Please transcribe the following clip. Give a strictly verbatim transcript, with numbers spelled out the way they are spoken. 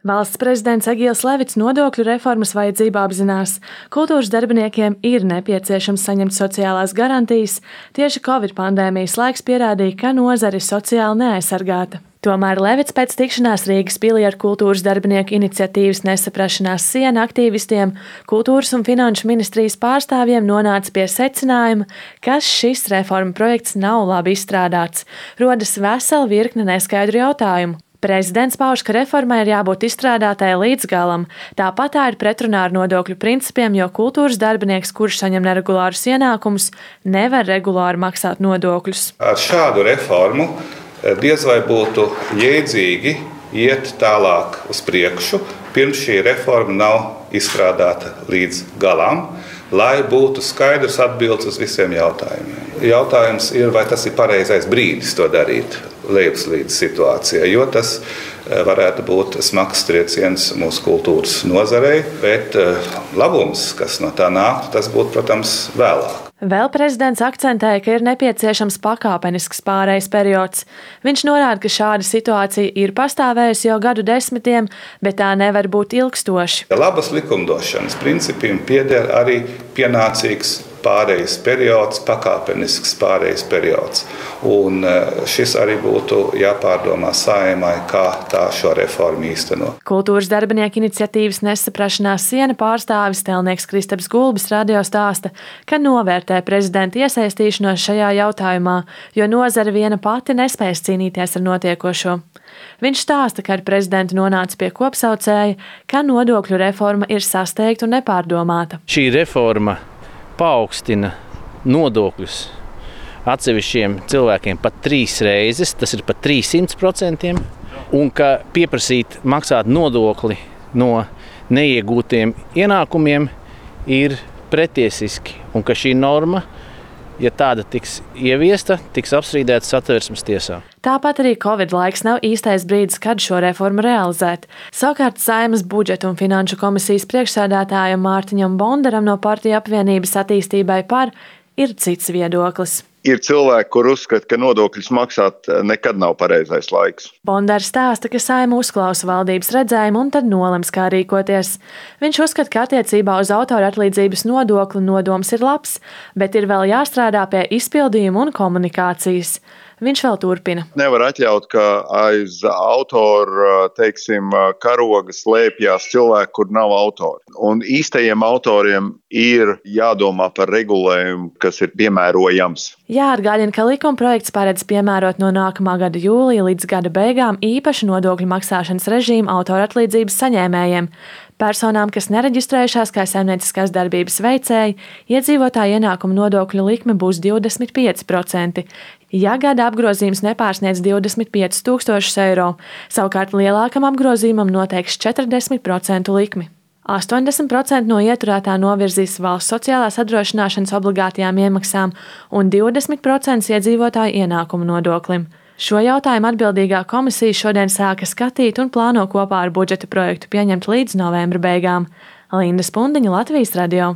Valsts prezidents Egils Levits nodokļu reformas vajadzību apzinās. Kultūras darbiniekiem ir nepieciešams saņemt sociālās garantijas. Tieši Covid pandēmijas laiks pierādīja, ka nozare ir sociāli neaizsargāta. Tomēr Levits pēc tikšanās Rīgas pilī ar kultūras darbinieku iniciatīvas Nesaprašanās siena aktīvistiem, kultūras un finanšu ministrijas pārstāvjiem nonāca pie secinājuma, ka šis reforma projekts nav labi izstrādāts. Rodas vesela virkne neskaidru jautājumu. Prezidents pauž, ka reformai ir jābūt izstrādātai līdz galam. Tāpat tā ir pretrunā ar nodokļu principiem, jo kultūras darbinieks, kurš saņem neregulārus ienākumus, nevar regulāri maksāt nodokļus. Ar šādu reformu diez vai būtu jēdzīgi iet tālāk uz priekšu, pirms šī reforma nav izstrādāta līdz galam, lai būtu skaidrs atbildes uz visiem jautājumiem. Jautājums ir, vai tas ir pareizais brīdis to darīt lejupslīdes situācijā, jo tas varētu būt smags trieciens mūsu kultūras nozarei, bet labums, kas no tā nāktu, tas būtu, protams, vēlāk. Vēl prezidents akcentēja, ka ir nepieciešams pakāpenisks pārejas periods. Viņš norāda, ka šāda situācija ir pastāvējusi jau gadu desmitiem, bet tā nevar būt ilgstoši. Labas likumdošanas principiem pieder arī pienācīgs pārejas periods, pakāpenisks pārejas periods. Un šis arī būtu jāpārdomā Saeimai, kā tā šo reformu īsteno. Kultūras darbinieku iniciatīvas Nesaprašanās siena pārstāvis Telnieks Kristaps Gulbis radio stāsta, ka novērtē prezidenta iesaistīšanos šajā jautājumā, jo nozare viena pati nespēs cīnīties ar notiekošo. Viņš stāsta, ka ar prezidentu nonāca pie kopsaucēja, ka nodokļu reforma ir sasteigta un nepārdomāta. Šī reforma paaugstina nodokļus atsevišķiem cilvēkiem pat trīs reizes, tas ir pat trīssimt procentiem, un ka pieprasīt maksāt nodokli no neiegūtiem ienākumiem ir pretiesiski, un ka šī norma, ja tāda tiks ieviesta, tiks apstrīdēta Satversmes tiesā. Tāpat arī Covid laiks nav īstais brīdis, kad šo reformu realizēt. Savukārt Saeimas budžeta un finanšu komisijas priekšsēdētājam Mārtiņam Bondaram no Partiju apvienības attīstībai par ir cits viedoklis. Ir cilvēki, kur uzskata, ka nodokļus maksāt nekad nav pareizais laiks. Bondars stāsta, ka Saeima uzklausa valdības redzējumu un tad nolems, kā rīkoties. Viņš uzskata, ka attiecībā uz autora atlīdzības nodokli nodoms ir labs, bet ir vēl jāstrādā pie izpildījuma un komunikācijas. Viņš vēl turpina. Nevar atļaut, ka aiz autora, teiksim, karoga slēpjās cilvēki, kur nav autori. Un īstajiem autoriem ir jādomā par regulējumu, kas ir piemērojams. Jāatgādina, ka likumprojekts paredz piemērot no nākamā gada jūlija līdz gada beigām īpašu nodokļu maksāšanas režīmu autora atlīdzības saņēmējiem. Personām, kas nereģistrējušās kā saimnieciskās darbības veicēji, iedzīvotāju ienākumu nodokļu likme būs divdesmit pieci procenti. Ja gada apgrozījums nepārsniedz divdesmit piecus tūkstošus eiro, savukārt lielākam apgrozījumam noteiks četrdesmit procentu likmi. astoņdesmit procenti no ieturētā novirzīs valsts sociālās apdrošināšanas obligātajām iemaksām un divdesmit procenti iedzīvotāju ienākumu nodoklim. Šo jautājumu atbildīgā komisija šodien sāka skatīt un plāno kopā ar budžeta projektu pieņemt līdz novembra beigām. Linda Spundiņa, Latvijas radio.